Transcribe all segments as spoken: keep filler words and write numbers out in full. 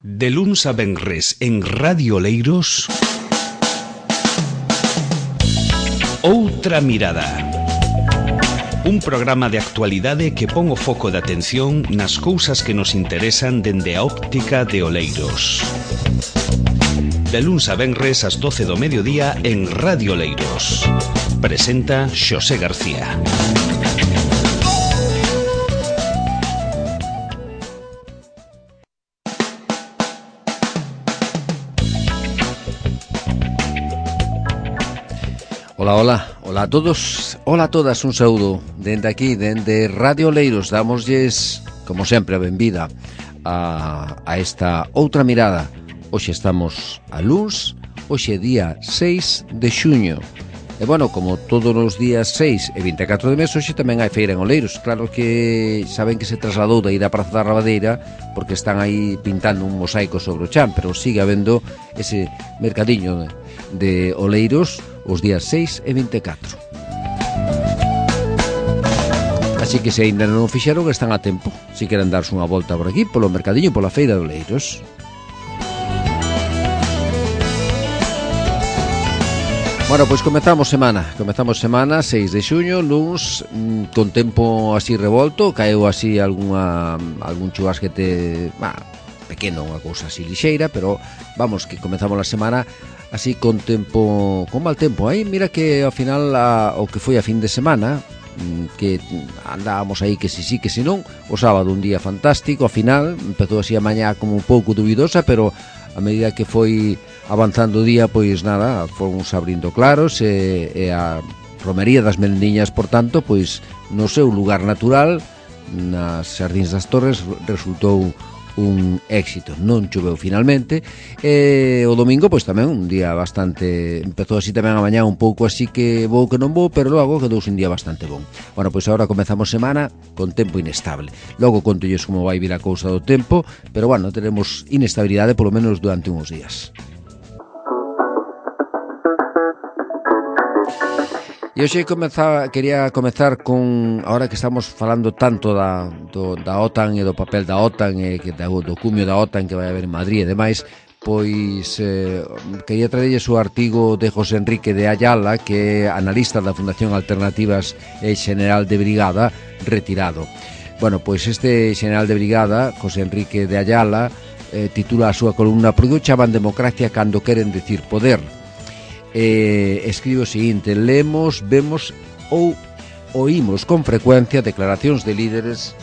De luns a venres en Radio Oleiros, Outra Mirada. Un programa de actualidade que pon o foco de atención nas cousas que nos interesan dende a óptica de Oleiros. De luns a venres ás doce do mediodía en Radio Oleiros. Presenta Xosé García. Ola, ola, ola a todos, ola a todas, un saúdo dende aquí, dende Radio Oleiros. Dámoslles, como sempre, a benvida a, a esta Outra Mirada. Hoxe estamos a luns, hoxe é día seis de xuño. E bueno, como todos os días seis e vinte e catro de mes, hoxe tamén hai feira en Oleiros. Claro que saben que se trasladou da ida a Praza da Rabadeira porque están aí pintando un mosaico sobre o chan, pero sigue habendo ese mercadiño de, de Oleiros os días seis e vinte e catro. Así que se ainda non o fixeron, están a tempo. Se queren darse unha volta por aquí, polo mercadiño, pola feira de Oleiros. Bueno, pois comezamos semana Comezamos semana, seis de xuño, luns, con tempo así revolto. Caeu así algunha, algún chubasquete, bah, pequeno, unha cousa así lixeira, pero vamos, que comezamos a semana así con tempo, con mal tempo. Aí mira que ao final a, o que foi a fin de semana, que andábamos aí que si sí, que si non. O sábado un día fantástico, ao final empezou así a mañá como un pouco dubidosa, pero a medida que foi avanzando o día, pois nada, fomos abrindo claros, e, e a romería das Merendiñas, por tanto, pois no seu lugar natural, nas Xardíns das Torres, resultou un éxito. Non choveu finalmente, e o domingo pois tamén un día bastante, empezou así tamén a mañá un pouco así que vou que non vou, pero logo quedou un día bastante bon. Bueno, pois agora comezamos semana con tempo inestable. Logo contolles como vai vir a cousa do tempo, pero bueno, teremos inestabilidade polo menos durante uns días. E hoxe comezaba, quería comezar con, ahora que estamos falando tanto da, do, da OTAN e do papel da OTAN e que, do, do cumio da OTAN que vai haber en Madrid e demais, pois eh, quería traerlles o artigo de José Enrique de Ayala, que é analista da Fundación Alternativas e Xeneral de Brigada, retirado. Bueno, pois este Xeneral de Brigada, José Enrique de Ayala, eh, titula a súa columna "Por que chaman democracia cando queren decir poder?" Eh, escribe o seguinte: lemos, vemos ou oímos con frecuencia declaracións de líderes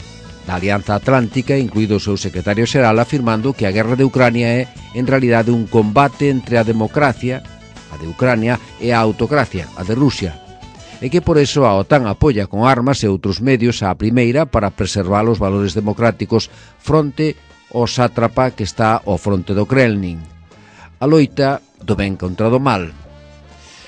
da Alianza Atlántica, incluído o seu secretario xeral, afirmando que a guerra de Ucrania é en realidade un combate entre a democracia, a de Ucrania, e a autocracia, a de Rusia, e que por eso a OTAN apoia con armas e outros medios á primeira para preservar os valores democráticos fronte ao sátrapa que está ao fronte do Kremlin. A loita do ben contra do mal.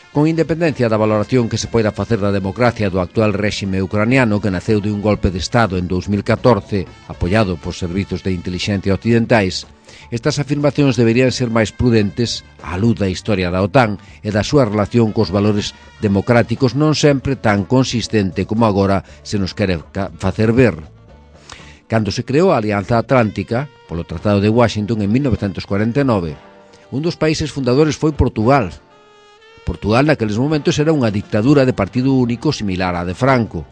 Con independencia da valoración que se poida facer da democracia do actual réxime ucraniano, que naceu de un golpe de Estado en dous mil catorce, apoiado por servizos de inteligencia occidentais, estas afirmacións deberían ser máis prudentes á luz da historia da OTAN e da súa relación cos valores democráticos, non sempre tan consistente como agora se nos quere facer ver. Cando se creou a Alianza Atlántica, polo Tratado de Washington en mil novecentos cuarenta e nove, un dos países fundadores foi Portugal. Portugal naqueles momentos era unha dictadura de partido único similar á de Franco.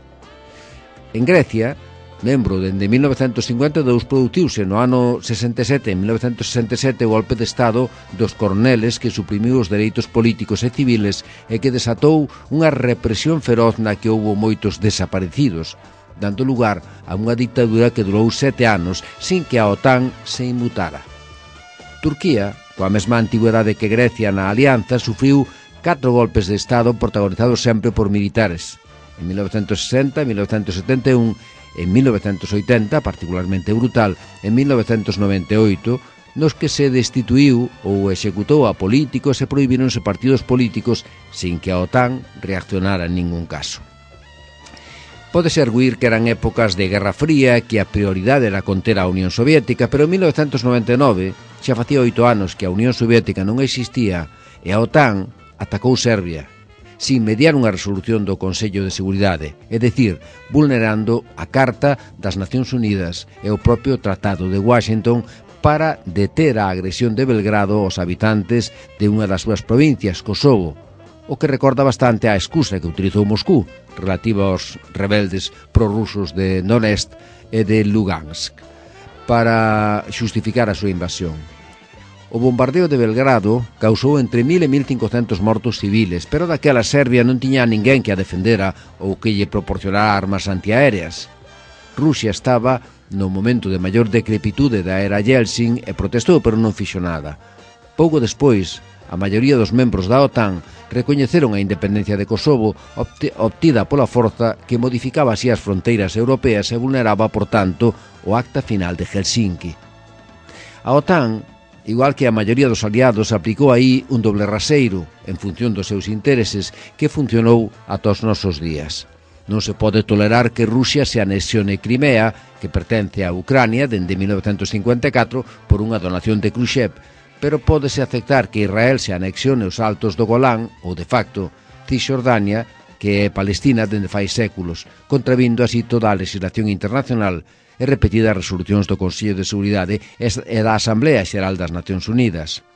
En Grecia, membro dende mil novecentos cincuenta e dous, produciuse no ano sesenta e sete, en mil novecentos sesenta e sete, o golpe de Estado dos Corneles, que suprimiu os dereitos políticos e civiles e que desatou unha represión feroz na que houbo moitos desaparecidos, dando lugar a unha dictadura que durou sete anos sin que a OTAN se inmutara. Turquía, coa mesma antigüedade que Grecia na alianza, sufriu catro golpes de Estado protagonizados sempre por militares. En mil novecentos sesenta, en mil novecentos setenta e un, en mil novecentos oitenta, particularmente brutal, en mil novecentos noventa e oito, nos que se destituiu ou executou a políticos e prohibironse partidos políticos sin que a OTAN reaccionara en ningún caso. Pódese arguir que eran épocas de Guerra Fría, que a prioridade era conter a Unión Soviética, pero en mil novecentos noventa e nove, xa facía oito anos que a Unión Soviética non existía e a OTAN atacou Serbia, sin mediar unha resolución do Consello de Seguridade, é dicir, vulnerando a Carta das Nacións Unidas e o propio Tratado de Washington para deter a agresión de Belgrado aos habitantes de unha das súas provincias, Kosovo, o que recorda bastante a excusa que utilizou Moscú relativa aos rebeldes prorrusos de Donetsk e de Lugansk para xustificar a súa invasión. O bombardeo de Belgrado causou entre mil e mil cincocentos mortos civiles, pero daquela Serbia non tiña a ninguén que a defendera ou que lle proporcionara armas antiaéreas. Rusia estaba no momento de maior decrepitude da era Yeltsin e protestou, pero non fixo nada. Pouco despois, a maioría dos membros da OTAN recoñeceron a independencia de Kosovo obtida pola forza que modificaba así as fronteiras europeas e vulneraba, por tanto, o Acta Final de Helsinki. A OTAN, igual que a maioría dos aliados, aplicou aí un doble raseiro en función dos seus intereses que funcionou ata os nosos días. Non se pode tolerar que Rusia se anexione Crimea, que pertence a Ucrania dende mil novecentos cincuenta e catro por unha donación de Khrushchev, pero pódese aceptar que Israel se anexione os altos do Golán, ou de facto Cisjordania, que é Palestina dende fai séculos, contravindo así toda a legislación internacional e repetidas resolucións do Consello de Seguridade e da Asamblea Xeral das Nacións Unidas.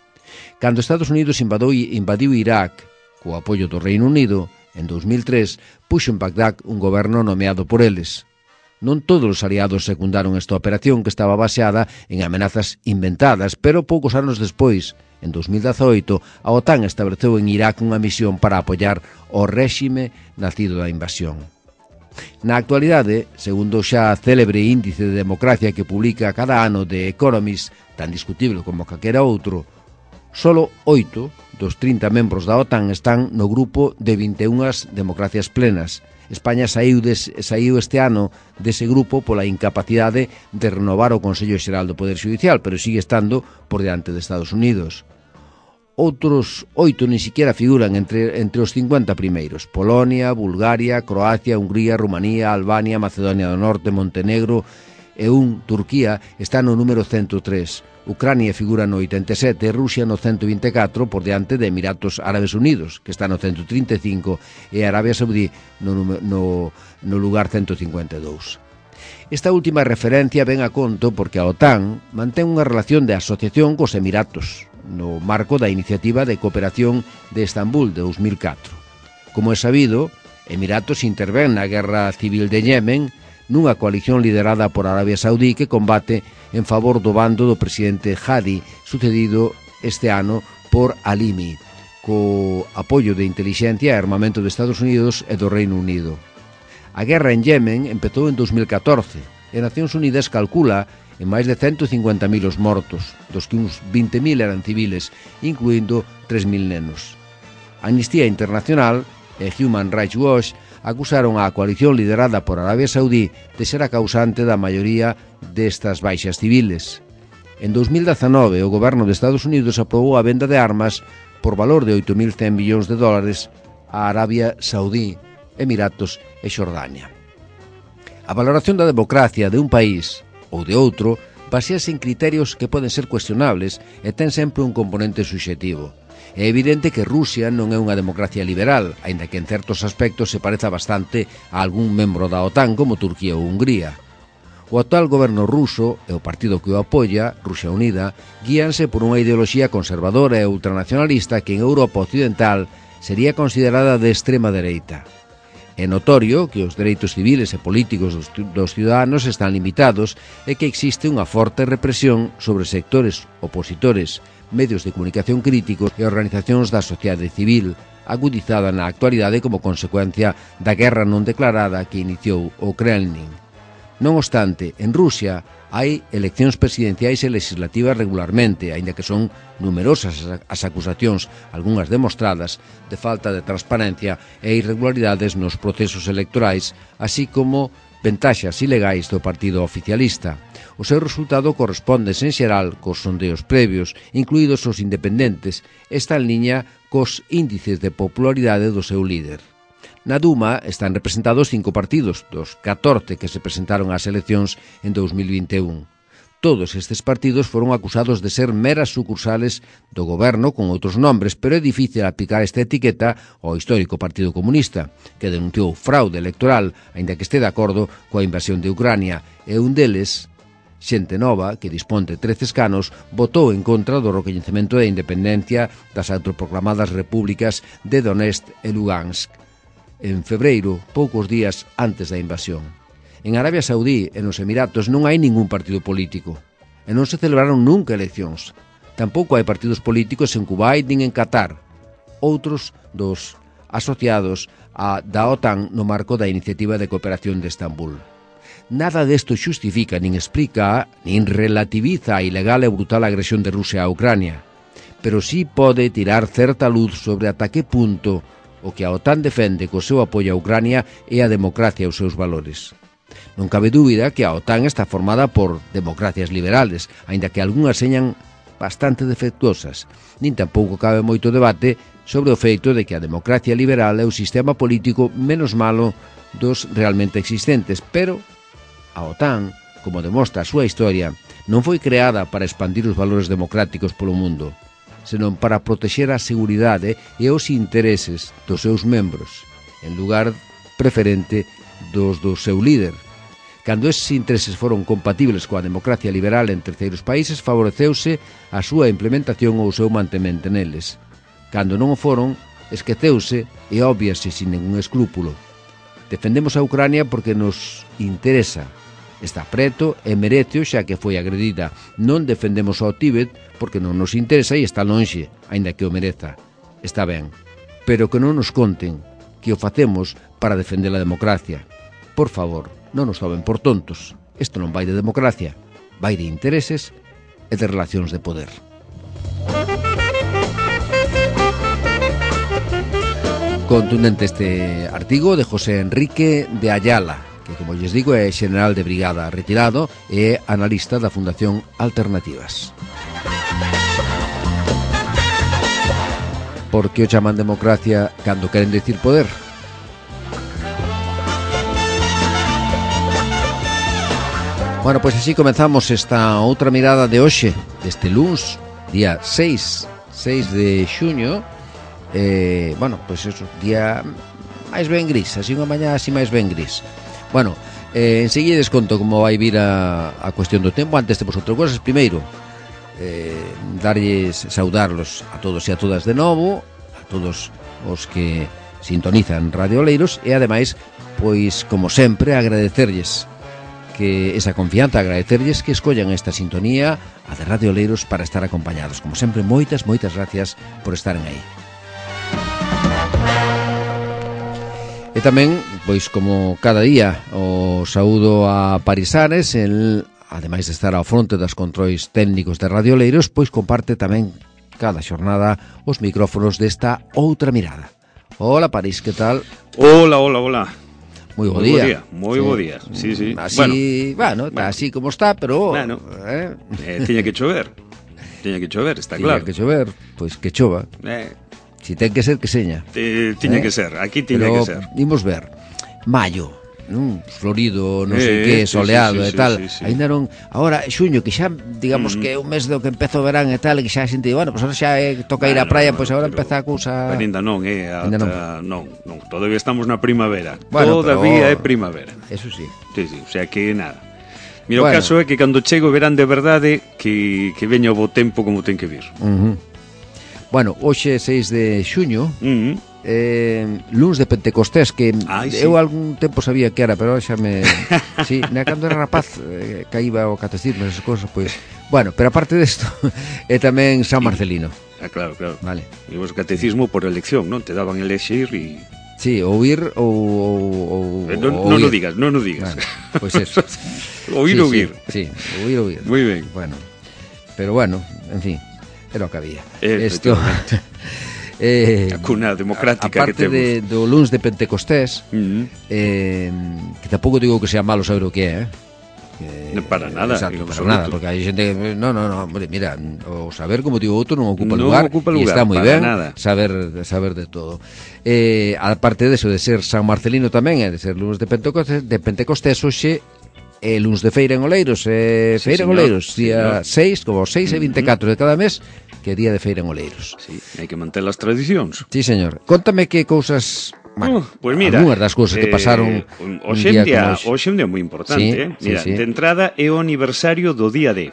Cando Estados Unidos invadou, invadiu Irak, co apoio do Reino Unido, en dous mil tres, puxo en Bagdad un goberno nomeado por eles. Non todos os aliados secundaron esta operación que estaba baseada en amenazas inventadas, pero poucos anos despois, en dous mil dezaoito, a OTAN estableceu en Irak unha misión para apoiar o réxime nacido da invasión. Na actualidade, segundo o xa célebre índice de democracia que publica cada ano The Economist, tan discutible como calquera outro, solo oito dos trinta membros da OTAN están no grupo de vinte e unha democracias plenas. España saiu, des, saiu este ano dese grupo pola incapacidade de renovar o Consello Xeral do Poder Xudicial, pero sigue estando por diante de Estados Unidos. Outros oito ni siquiera figuran entre, entre os cincuenta primeiros. Polonia, Bulgaria, Croacia, Hungría, Rumanía, Albania, Macedonia do Norte, Montenegro e un, Turquía, está no número cento tres. Ucrania figura no oitenta e sete e Rusia no cento vinte e catro por diante de Emiratos Árabes Unidos, que está no cento trinta e cinco, e Arabia Saudí no, no, no lugar cento cincuenta e dous. Esta última referencia ven a conto porque a OTAN mantén unha relación de asociación cos Emiratos, no marco da Iniciativa de Cooperación de Estambul de dous mil catro. Como é sabido, Emiratos intervén na guerra civil de Yemen nunha coalición liderada por Arabia Saudí que combate en favor do bando do presidente Hadi, sucedido este ano por Alimi, co apoio de inteligencia e armamento de Estados Unidos e do Reino Unido. A guerra en Yemen empezou en dous mil catorce e Nacións Unidas calcula en máis de cento cincuenta mil os mortos, dos que uns vinte mil eran civiles, incluindo tres mil nenos. Amnistía Internacional e Human Rights Watch acusaron a coalición liderada por Arabia Saudí de ser a causante da maioría destas baixas civiles. En dous mil dezanove, o goberno de Estados Unidos aprobou a venda de armas por valor de oito mil cen millóns de dólares a Arabia Saudí, Emiratos e Xordania. A valoración da democracia de un país ou de outro basease en criterios que poden ser cuestionables e ten sempre un componente subxetivo. É evidente que Rusia non é unha democracia liberal, aínda que en certos aspectos se pareza bastante a algún membro da OTAN como Turquía ou Hungría. O actual goberno ruso e o partido que o apoia, Rusia Unida, guíanse por unha ideoloxía conservadora e ultranacionalista que en Europa occidental sería considerada de extrema dereita. É notorio que os dereitos civiles e políticos dos, dos ciudadanos están limitados e que existe unha forte represión sobre sectores opositores, medios de comunicación críticos e organizacións da sociedade civil, agudizada na actualidade como consecuencia da guerra non declarada que iniciou o Kremlin. Non obstante, en Rusia hai eleccións presidenciais e legislativas regularmente, aínda que son numerosas as acusacións, algunhas demostradas, de falta de transparencia e irregularidades nos procesos electorais, así como ventaxas ilegais do partido oficialista. O seu resultado corresponde, en xeral, cos sondeos previos, incluídos os independentes, está en liña cos índices de popularidade do seu líder. Na Duma están representados cinco partidos, dos catorce que se presentaron ás eleccións en dous mil vinte e un. Todos estes partidos foron acusados de ser meras sucursales do goberno con outros nombres, pero é difícil aplicar esta etiqueta ao histórico Partido Comunista, que denunciou fraude electoral, aínda que este de acordo coa invasión de Ucrania, e un deles xente nova, que dispón de trece escanos, votou en contra do recoñecemento da independencia das autoproclamadas repúblicas de Donetsk e Lugansk, en febreiro, poucos días antes da invasión. En Arabia Saudí e nos Emiratos non hai ningún partido político, e non se celebraron nunca eleccións. Tampouco hai partidos políticos en Kuwait nin en Qatar, outros dos asociados a da OTAN no marco da Iniciativa de Cooperación de Estambul. Nada desto xustifica, nin explica, nin relativiza a ilegal e brutal agresión de Rusia a Ucrania, pero sí pode tirar certa luz sobre ata que punto o que a OTAN defende co seu apoio a Ucrania é a democracia e os seus valores. Non cabe dúbida que a OTAN está formada por democracias liberales, aínda que algunhas señan bastante defectuosas. Nin tampouco cabe moito debate sobre o feito de que a democracia liberal é o sistema político menos malo dos realmente existentes, pero a OTAN, como demostra a súa historia, non foi creada para expandir os valores democráticos polo mundo, senón para protexer a seguridade e os intereses dos seus membros, en lugar preferente dos do seu líder. Cando esses intereses foron compatibles coa democracia liberal en terceiros países, favoreceuse a súa implementación ou o seu mantemento neles. Cando non o foron, esqueceuse e óbviase sin ningún escrúpulo. Defendemos a Ucrania porque nos interesa. Está preto e merece xa que foi agredida. Non defendemos ao Tíbet porque non nos interesa e está lonxe, aínda que o mereza. Está ben. Pero que non nos conten que o facemos para defender a democracia. Por favor, non nos tomen por tontos. Isto non vai de democracia, vai de intereses e de relacións de poder. Contundente este artigo de José Enrique de Ayala, que, como lles digo, é xeneral de brigada retirado e analista da Fundación Alternativas. Por que o chaman democracia cando queren decir poder? Bueno, pois así comezamos esta outra mirada de hoxe, deste luns, día seis de xuño. Eh, bueno, pois é un día máis ben gris, así unha mañá así máis ben gris. Bueno, eh, enseguida desconto como vai vir a, a cuestión do tempo. Antes temos outras cosas. Primeiro, eh, darlles, saudarlos a todos e a todas de novo, a todos os que sintonizan Radio Oleiros, e ademais, pois, como sempre, agradecerlles que esa confianza, agradecerlles que escollan esta sintonía, a de Radio Oleiros, para estar acompañados. Como sempre, moitas, moitas gracias por estaren aí. E tamén, pois como cada día, o saúdo a Parisares, el, ademais de estar ao fronte das controis técnicos de Radio Oleiros, pois comparte tamén cada xornada os micrófonos desta outra mirada. Hola, París, que tal? Hola, hola, hola. Moi bo día. Moi bo día, sí, sí. Así, bueno, bueno, bueno, así como está, pero... Bueno, eh? eh, tiña que chover. Tiña que chover, está tiña claro. Tiña que chover, pois que chova. Eh... Si ten que ser, que seña. Eh, tiña eh? que ser, aquí tiña pero que ser. Imos ver, maio, non? Florido, non sei eh, que, soleado sí, sí, sí, e tal. Sí, sí, sí. Ainda non, agora xuño, que xa, digamos mm. que é un mes do que empeza o verán e tal, e que xa xente, bueno, pois pues, xa eh, toca bueno, ir á praia, pois pues, agora empeza a cousa. Pero ainda non, eh, ata, non. non, non, todavía estamos na primavera. Bueno, todavía pero... é primavera. Eso sí. Sí, sí, o sea que nada. Mira, bueno. O caso é que cando chego verán de verdade que, que veña o bo tempo como ten que vir. Uh -huh. Bueno, hoxe seis de xuño, uh -huh. eh, luns de Pentecostés, que Ay, eu sí. algún tempo sabía que era, pero xa me... sí, na cando era rapaz, eh, caíba o catecismo, esas cosas, pois... Bueno, pero aparte desto, é tamén San Marcelino. Ah, claro, claro. Vale. E o catecismo por elección, non? Te daban elexir e... Sí, ou ir ou... ou, ou non, non o digas, non o digas. Bueno, pois eso. Ou ir sí, ou ir. Sí, sí, ou ir ou ir. Moi ben. Bueno, pero bueno, en fin... Era o que había. Esto, eh, a cuna democrática que temos. Aparte do luns de Pentecostés, uh -huh. eh, que tampouco digo que sea malo saber o que é, eh? Que, no, para nada. Exacto, para nada, porque hai xente que, no, no, no, mira, o saber, como digo outro, non ocupa no lugar, ocupa lugar, e está moi ben nada. saber saber de todo. Eh, aparte de eso, de ser San Marcelino tamén, e de ser luns de Pentecostés, de Pentecostés hoxe é luns de feira en Oleiros, eh, sí, feira en señor, Oleiros, día seis, seis, como seis e vinte e catro de cada mes, que é día de feira en Oleiros. Sí, hai que manter as tradicións. Sí, señor. Contame que cousas... Bueno, uh, pues mira, algunhas das cousas que pasaron eh, un hoxe día día, como hoxe un día moi importante, sí, eh? Mira, sí, sí. de entrada é o aniversario do día D.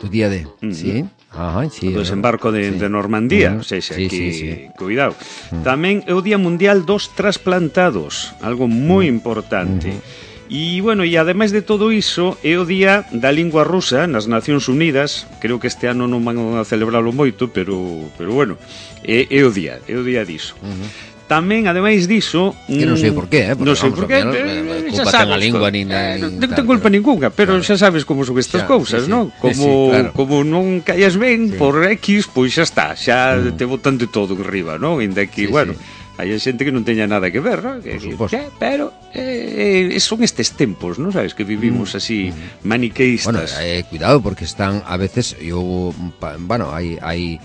Do día D, Uh-huh. sí. Ajá, sí. Do desembarco de, sí. de Normandía, Uh-huh. o sea, sí, aquí, sí, sí. cuidado. Uh-huh. Tamén é o Día Mundial dos Trasplantados, algo moi uh-huh. importante. Uh-huh. E, bueno, e ademais de todo iso, é o Día da Lingua Rusa nas Nacións Unidas. Creo que este ano non van a celebralo moito, pero, pero bueno, é, é o día, é o día diso. Uh-huh. Tamén, ademais diso... Que non sei por qué, eh? Non sei por qué, eh, culpa ten a lingua nin... Eh, non ten culpa ninguna, pero claro. xa sabes como son estas xa, cousas, sí, non? sí, Como, sí, claro. como non callas ben sí. por X, pois xa está, xa mm. te botan de todo en riba, non? Inda que, sí, bueno... Sí. Hai xente que non teña nada que ver, non? Que, que, pero eh, son estes tempos, non sabes, que vivimos así maniqueístas. Bueno, eh, cuidado, porque están a veces, eu, bueno, hai hai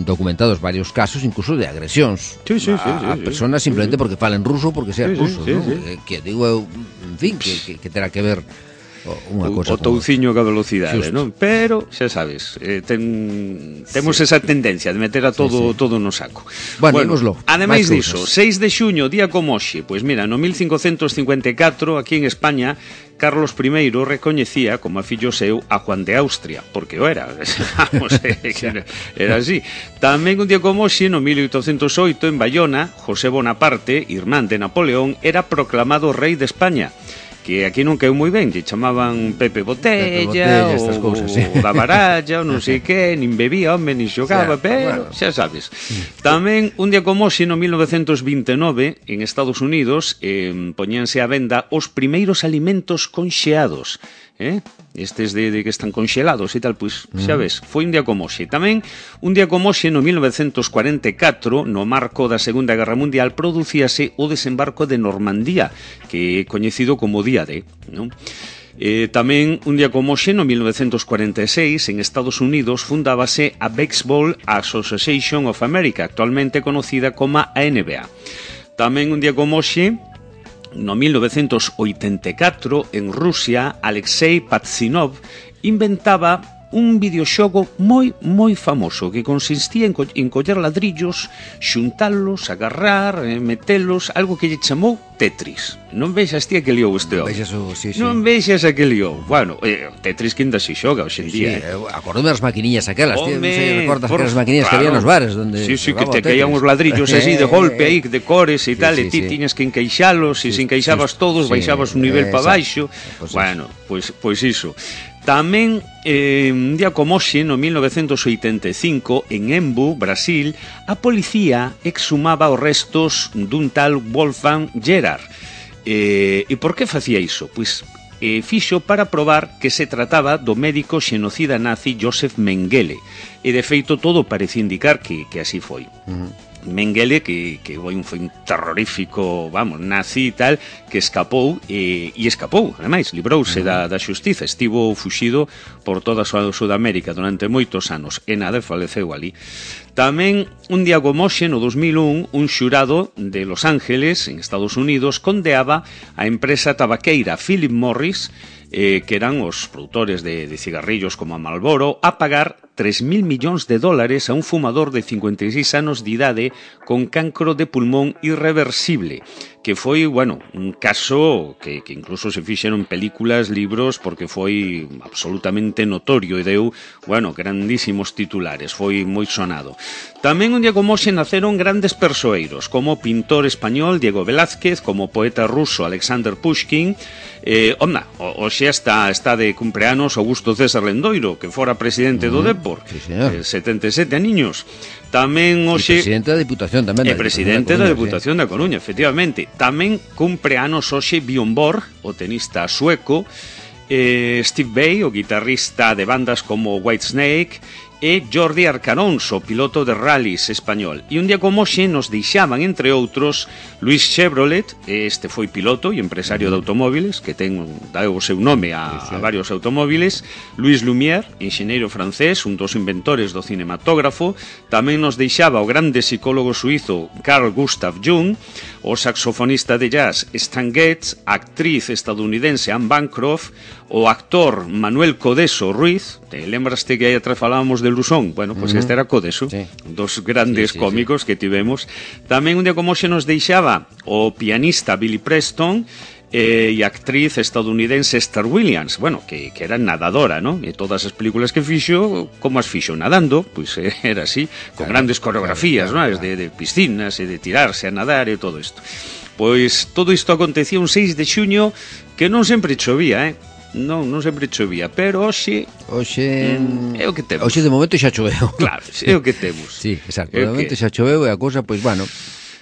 documentados varios casos incluso de agresións sí, sí, sí, a, a sí, personas sí, simplemente sí. porque falan ruso porque sean sí, rusos, sí, ¿no? sí. Eh, que digo eu, en fin, que, que, que terá que ver unha cosa o touciño ca velocidade, Justo. non? Pero, xa sabes, eh, ten, temos sí. esa tendencia de meter a todo sí, sí. todo no saco. Bueno, bueno ademais diso, seis de xuño, día como hoxe, pois mira, no mil cincocentos cincuenta e catro, aquí en España, Carlos primeiro recoñecía como a fillo seu a Juan de Austria, porque o era, vamos, era así. Tamén un día como hoxe, no mil oitocentos oito, en Bayona, José Bonaparte, irmán de Napoleón, era proclamado rei de España. Que aquí non queu moi ben, lle chamaban Pepe Botella, Pepe Botella o, cousas, sí. o da baralla, ou non sei que, nin bebía, home, nin xogaba, xa, pero bueno. xa sabes. Tamén, un día como hoxe, no mil novecentos vinte e nove, en Estados Unidos, eh, poñíanse á venda os primeiros alimentos conxeados, eh? Estes de, de que están conxelados e tal, pois, xa ves, foi un día como hoxe. Tamén, un día como hoxe, no mil novecentos cuarenta e catro, no marco da Segunda Guerra Mundial, producíase o desembarco de Normandía, que é coñecido como Día D, non? Eh, tamén, un día como hoxe, no mil novecentos cuarenta e seis, en Estados Unidos, fundábase a Baseball Association of America, actualmente conocida como a N B A. Tamén, un día como hoxe, no mil novecentos oitenta e catro, en Rusia, Alexei Pajitnov inventaba un videoxogo moi, moi famoso que consistía en, co en coller ladrillos, xuntalos, agarrar, eh, metelos, algo que lle chamou Tetris. Non vexas ti a que liou este home? Non, sí, sí. non vexas a que liou. Bueno, eh, Tetris que ainda se xoga hoxe en sí, día. Sí, eh. Acordome das maquiniñas aquelas, tío, non sei, recordas por... aquelas maquiniñas claro. que había nos bares donde sí, sí, que te caían os ladrillos así de golpe aí, de cores e sí, tal, sí, e ti sí. tiñas que encaixalos, e sí, se encaixabas sí, todos, sí, baixabas un nivel eh, para baixo. Pues bueno, pois pues, pois iso. Tamén, eh, un día como hoxe, no mil novecentos oitenta e cinco, en Embu, Brasil, a policía exhumaba os restos dun tal Wolfgang Gerhard. Eh, e por que facía iso? Pois eh, fixo para probar que se trataba do médico xenocida nazi Josef Mengele. E, de feito, todo parece indicar que, que así foi. Uh-huh. Mengele, que, que foi un, foi un terrorífico, vamos, nazi e tal, que escapou, e, e escapou, ademais, librouse uh-huh. da, da xustiza, estivo fuxido por toda a Sudamérica durante moitos anos, e nada, faleceu ali. Tamén, un día como hoxe, no dos mil un, un xurado de Los Ángeles, en Estados Unidos, condeaba a empresa tabaqueira Philip Morris, eh, que eran os produtores de, de cigarrillos como a Marlboro, a pagar tres mil millóns de dólares a un fumador de cincuenta e seis anos de idade con cancro de pulmón irreversible, que foi, bueno, un caso que, que incluso se fixeron películas, libros, porque foi absolutamente notorio e deu, bueno, grandísimos titulares, foi moi sonado. Tamén un día como hoxe naceron grandes persoeiros, como o pintor español Diego Velázquez, como o poeta ruso Alexander Pushkin. Eh, onda, hoxe está, está de cumpleanos Augusto César Lendoiro, que fora presidente do Depor, sí, eh, setenta e sete aniños. Tamén hoxe... E presidente da Diputación tamén. E presidente da Diputación da Coruña, efectivamente. Tamén cumpleanos hoxe Björn Borg, o tenista sueco, eh, Steve Vai, o guitarrista de bandas como Whitesnake, e Jordi Arcanonso, piloto de rallies español. E un día como hoxe nos deixaban, entre outros, Luis Chevrolet, este foi piloto e empresario de automóviles, que ten dá o seu nome a, a varios automóviles, Luis Lumière, enxeñeiro francés, un dos inventores do cinematógrafo, tamén nos deixaba o grande psicólogo suizo Carl Gustav Jung, o saxofonista de jazz Stan Getz, a actriz estadounidense Anne Bancroft, o actor Manuel Codeso Ruiz, te lembraste que aí atrás falábamos de Lusón? Bueno, pois pues uh-huh. este era Codeso, sí. Dos grandes sí, sí, cómicos sí. que tivemos. Tamén un día como xe nos deixaba o pianista Billy Preston eh, e a actriz estadounidense Esther Williams, bueno, que, que era nadadora, ¿no? E todas as películas que fixo, como as fixo nadando, pois pues, eh, era así, con claro, grandes coreografías, claro, claro, ¿no? Claro. De, de piscinas e de tirarse a nadar e todo isto. Pois todo isto acontecía un seis de xuño que non sempre chovía, eh? Non, non sempre chovía, pero hoxe Hoxe mm, é o que temos. Hoxe de momento xa choveu. Claro, é o que temos. Sí, exacto, de momento que... xa choveu e a cousa, pois, bueno,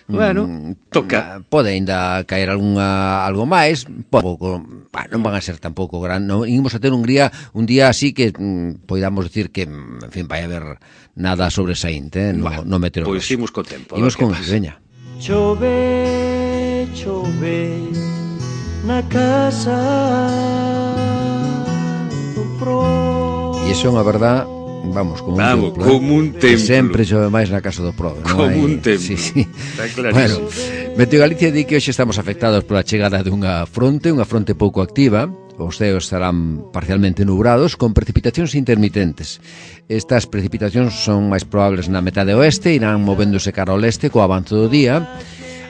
Bueno, mm, toca. Pode ainda caer algunha, algo máis, pouco, bueno, non van a ser tampouco gran, non imos a ter un día, un día así que mm, podamos decir que, en fin, vai haber nada sobresaínte, eh, no, bueno, no meteorolóxico. Pois imos co tempo. Imos con iso, veña. Chove, chove na casa do pro. E iso é unha verdad, vamos, como un vamos, templo. Como un templo. Que sempre chove máis na casa do pro. Como hai... un templo. Sí, sí. Está clarísimo. Bueno, Meteo Galicia di que hoxe estamos afectados pola chegada dunha fronte, unha fronte pouco activa. Os ceos estarán parcialmente nubrados con precipitacións intermitentes. Estas precipitacións son máis probables na metade oeste, irán movéndose cara ao leste co avanzo do día.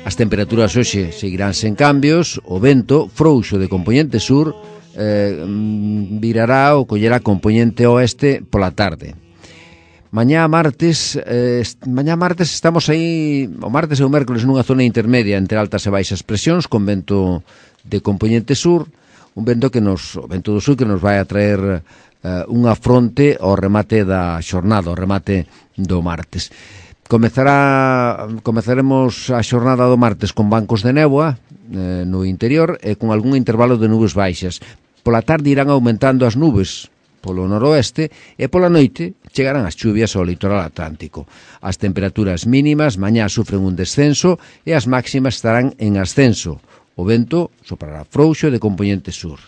As temperaturas hoxe seguirán sen cambios, o vento frouxo de compoñente sur eh, virará ou collerá compoñente oeste pola tarde. Mañá martes, eh, mañá martes estamos aí, o martes e o mércoles nunha zona intermedia entre altas e baixas presións con vento de compoñente sur, un vento que nos, o vento do sur que nos vai a traer eh, unha fronte ao remate da xornada, ao remate do martes. Comezará, comezaremos a xornada do martes con bancos de néboa eh, no interior e con algún intervalo de nubes baixas. Pola tarde irán aumentando as nubes polo noroeste e pola noite chegarán as chuvias ao litoral atlántico. As temperaturas mínimas mañá sufren un descenso e as máximas estarán en ascenso. O vento soprará frouxo de compoñente sur.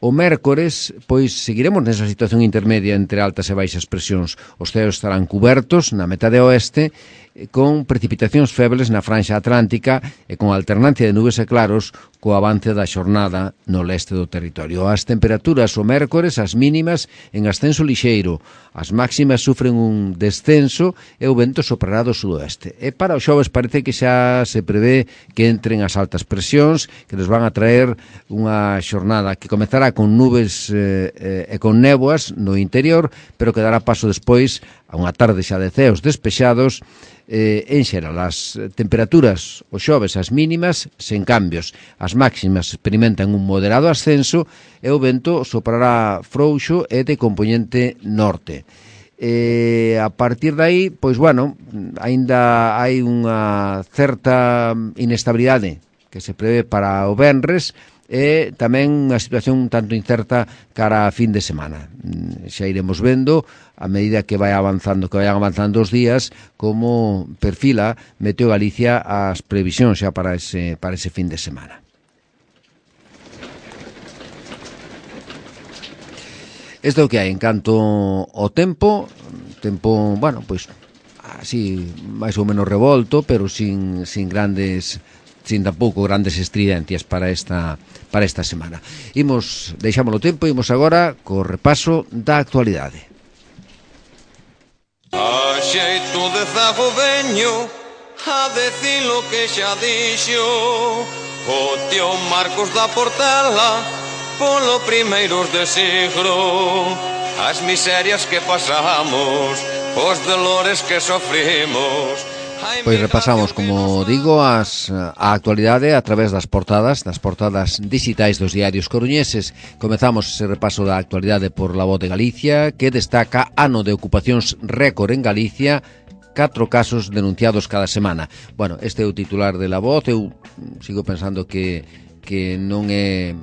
O mércores, pois, seguiremos nesa situación intermedia entre altas e baixas presións. Os ceos estarán cubertos na metade oeste con precipitacións febles na franxa atlántica e con alternancia de nubes e claros co avance da xornada no leste do territorio. As temperaturas o mércores, as mínimas, en ascenso lixeiro. As máximas sufren un descenso e o vento soprará do sudoeste. E para o xoves parece que xa se prevé que entren as altas presións que nos van a traer unha xornada que comezará con nubes eh, eh, e con néboas no interior, pero que dará paso despois a unha tarde xa de ceos despexados. Eh, en xeral, as temperaturas o xoves as mínimas sen cambios, as máximas experimentan un moderado ascenso e o vento soprará frouxo e de compoñente norte. Eh, a partir de aí, pois bueno, aínda hai unha certa inestabilidade que se prevé para o venres e tamén unha situación un tanto incerta cara a fin de semana. Xa iremos vendo a medida que vai avanzando, que vayan avanzando os días, como perfila Meteo Galicia as previsións xa para ese, para ese fin de semana. Isto é o que hai en canto ao tempo, tempo, bueno, pois así, máis ou menos revolto, pero sin, sin grandes sin tampouco grandes estridencias para esta para esta semana. Imos, deixámoslo tempo, imos agora co repaso da actualidade. A xeito de zago veño a decir lo que xa dixo o tío Marcos da Portela polo primeiros de siglo, as miserias que pasamos, os dolores que sofrimos. Pois repasamos, como digo, as, a actualidade a través das portadas, das portadas digitais dos diarios coruñeses. Comezamos ese repaso da actualidade por La Voz de Galicia, que destaca ano de ocupacións récord en Galicia, catro casos denunciados cada semana. Bueno, este é o titular de La Voz, eu sigo pensando que, que non é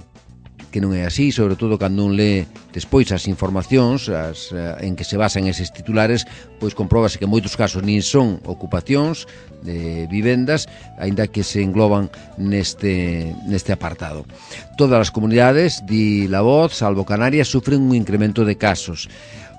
que non é así, sobre todo cando un lee despois as informacións as, uh, en que se basan eses titulares, pois compróbase que en moitos casos nin son ocupacións de vivendas, aínda que se engloban neste, neste apartado. Todas as comunidades, di La Voz, salvo Canarias, sufren un incremento de casos.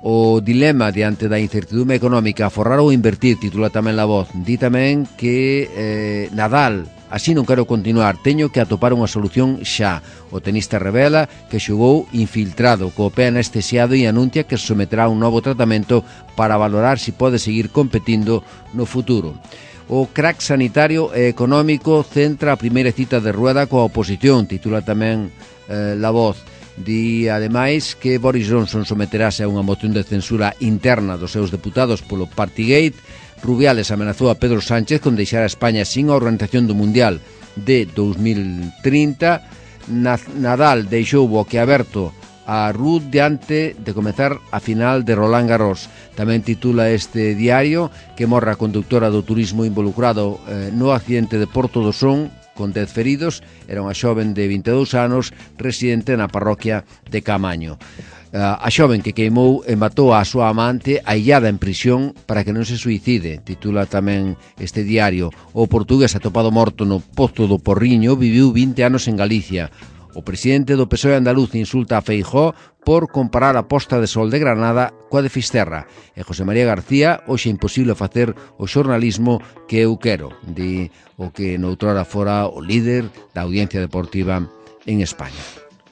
O dilema diante da incertidumbre económica, aforrar ou invertir, titula tamén La Voz. Di tamén que eh, Nadal, así non quero continuar, teño que atopar unha solución xa. O tenista revela que xogou infiltrado, co pé anestesiado, e anuncia que someterá un novo tratamento para valorar se pode seguir competindo no futuro. O crack sanitario e económico centra a primeira cita de Rueda coa oposición, titula tamén eh, La Voz. Di, ademais, que Boris Johnson someterase a unha moción de censura interna dos seus deputados polo Partygate. Rubiales amenazou a Pedro Sánchez con deixar a España sin a organización do Mundial de dos mil trinta. Nadal deixou boquiaberto a Ruud diante de comezar a final de Roland Garros. Tamén titula este diario que morre a conductora do turismo involucrado eh, no accidente de Porto do Son, con dez feridos. Era unha xoven de vinte e dous anos residente na parroquia de Camaño. A xoven que queimou e matou a súa amante aillada en prisión para que non se suicide, titula tamén este diario. O portugués atopado morto no Pozo do Porriño viviu vinte anos en Galicia. O presidente do P S O E andaluz insulta a Feijóo por comparar a posta de sol de Granada coa de Fisterra. E José María García, hoxe é imposible facer o xornalismo que eu quero, di o que noutrora fora o líder da audiencia deportiva en España.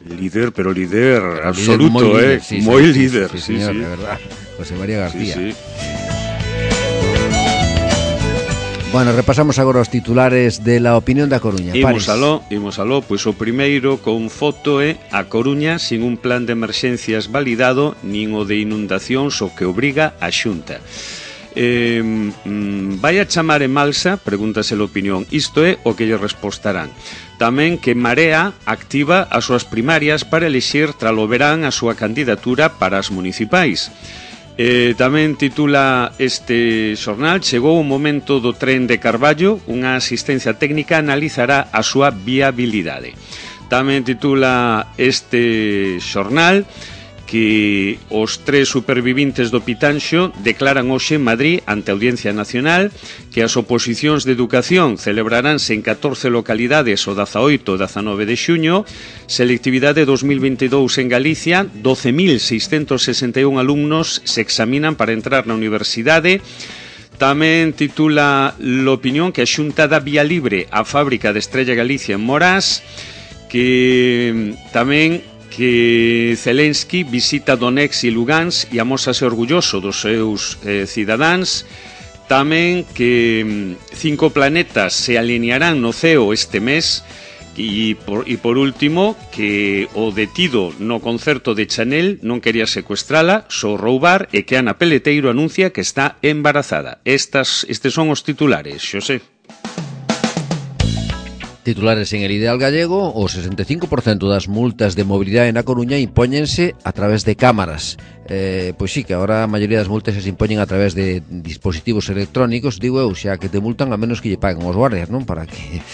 Líder, pero líder absoluto, líder, eh, líder, sí, moi sí, líder, sí, sí, señor, sí. De verdad, José María García. Sí, sí. Bueno, repasamos agora os titulares de La Opinión da Coruña. Imos aló, imos aló, pois o primeiro con foto é a Coruña sin un plan de emerxencias validado, nin o de inundacións o que obriga a Xunta. Eh, mm, vai a chamar en Malsa? Pregúntase a opinión. Isto é o que lle respostarán. Tamén que Marea activa as súas primarias para elixir tralo verán a súa candidatura para as municipais. Eh, tamén titula este xornal: chegou o momento do tren de Carballo, unha asistencia técnica analizará a súa viabilidade. Tamén titula este xornal que os tres supervivintes do Pitanxo declaran hoxe en Madrid ante a Audiencia Nacional que as oposicións de educación celebraránse en catorce localidades o dezaoito e dezanove de xuño, selectividade dos mil vinte e dous en Galicia, doce mil seiscentos sesenta e un alumnos se examinan para entrar na universidade. Tamén titula l'opinión que a Xunta dá vía libre á fábrica de Estrella Galicia en Morás, que tamén que Zelensky visita Donetsk e Lugansk e amósase orgulloso dos seus eh, cidadáns. Tamén que cinco planetas se alinearán no ceo este mes. E por, e por último, que o detido no concerto de Chanel non quería secuestrala, só roubar, e que Ana Peleteiro anuncia que está embarazada. Estas, estes son os titulares, Xosé. Titulares en El Ideal Gallego: o sesenta e cinco por cento das multas de mobilidade na Coruña impóñense a través de cámaras. Eh, pois sí, que agora a maioría das multas se impoñen a través de dispositivos electrónicos, digo eu, xa que te multan a menos que lle paguen os guardias, non? Para que...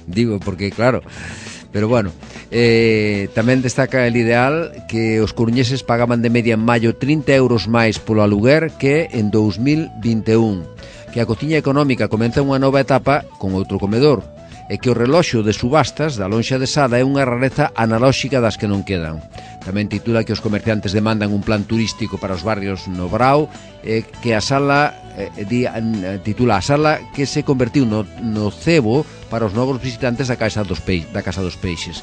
digo, porque claro... Pero bueno, eh, tamén destaca El Ideal que os coruñeses pagaban de media en maio trinta euros máis polo aluguer que en dous mil vinte e un. Que a cociña económica comeza unha nova etapa con outro comedor, e que o reloxo de subastas da lonxa de Sada é unha rareza analóxica das que non quedan. Tamén titula que os comerciantes demandan un plan turístico para os barrios no Brao, e que a sala eh, di, titula a sala que se convertiu no, no cebo para os novos visitantes da Casa dos, Peix, da Casa dos Peixes.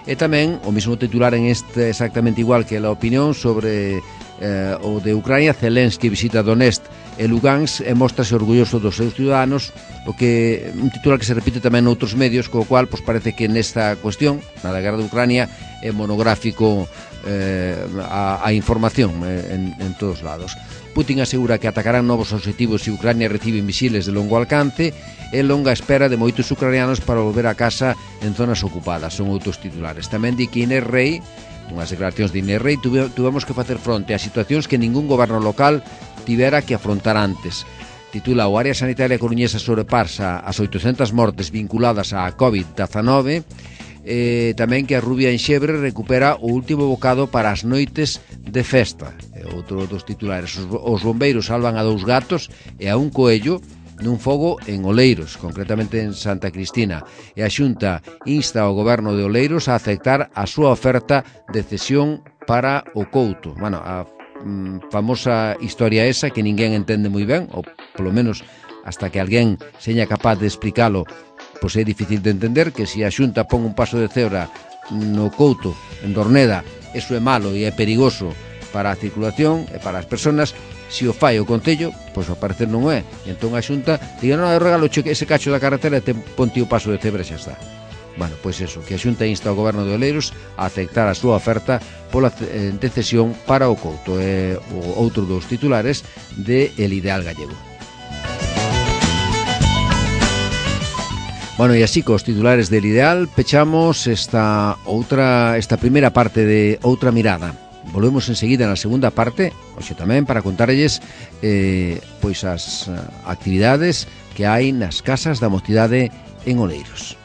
E tamén o mesmo titular en este exactamente igual que a opinión sobre eh, o de Ucrania. Zelensky visita Donetsk e Lugansk e mostrase orgulloso dos seus ciudadanos, o que un titular que se repite tamén noutros medios, co cual pois, parece que nesta cuestión, na da guerra de Ucrania, é monográfico eh, a, a información eh, en, en todos lados. Putin asegura que atacarán novos objetivos se Ucrania recibe misiles de longo alcance e longa espera de moitos ucranianos para volver a casa en zonas ocupadas. Son outros titulares. Tamén di que Inés Rei, unhas declaracións de Inés Rei, tuvemos que facer fronte a situacións que ningún goberno local tivera que afrontar antes. Titula: o área sanitaria coruñesa sobrepasa as oitocentas mortes vinculadas á covid dezanove. eh, tamén que a Rubia Enxebre recupera o último bocado para as noites de festa. É outro dos titulares. Os, os bombeiros salvan a dous gatos e a un coello nun fogo en Oleiros, concretamente en Santa Cristina, e a Xunta insta ao goberno de Oleiros a aceptar a súa oferta de cesión para o Couto. Bueno, a mm, famosa historia esa que ninguén entende moi ben, ou polo menos hasta que alguén seña capaz de explicalo, pois é difícil de entender que se a Xunta pon un paso de cebra no Couto, en Dorneda, eso é malo e é perigoso para a circulación e para as persoas. Se o fai o Concello, pois ao parecer non é. E entón a Xunta diga, non, eu regalo ese cacho da carretera e te ponte o paso de cebra e xa está. Bueno, pois eso, que a Xunta insta ao goberno de Oleiros a aceptar a súa oferta pola de cesión para o Couto. É o outro dos titulares de El Ideal Gallego. Bueno, e así cos titulares del Ideal pechamos esta outra esta primeira parte de Outra Mirada. Volvemos enseguida na segunda parte, hoxe tamén para contarlles eh, pois as actividades que hai nas casas da mocidade en Oleiros.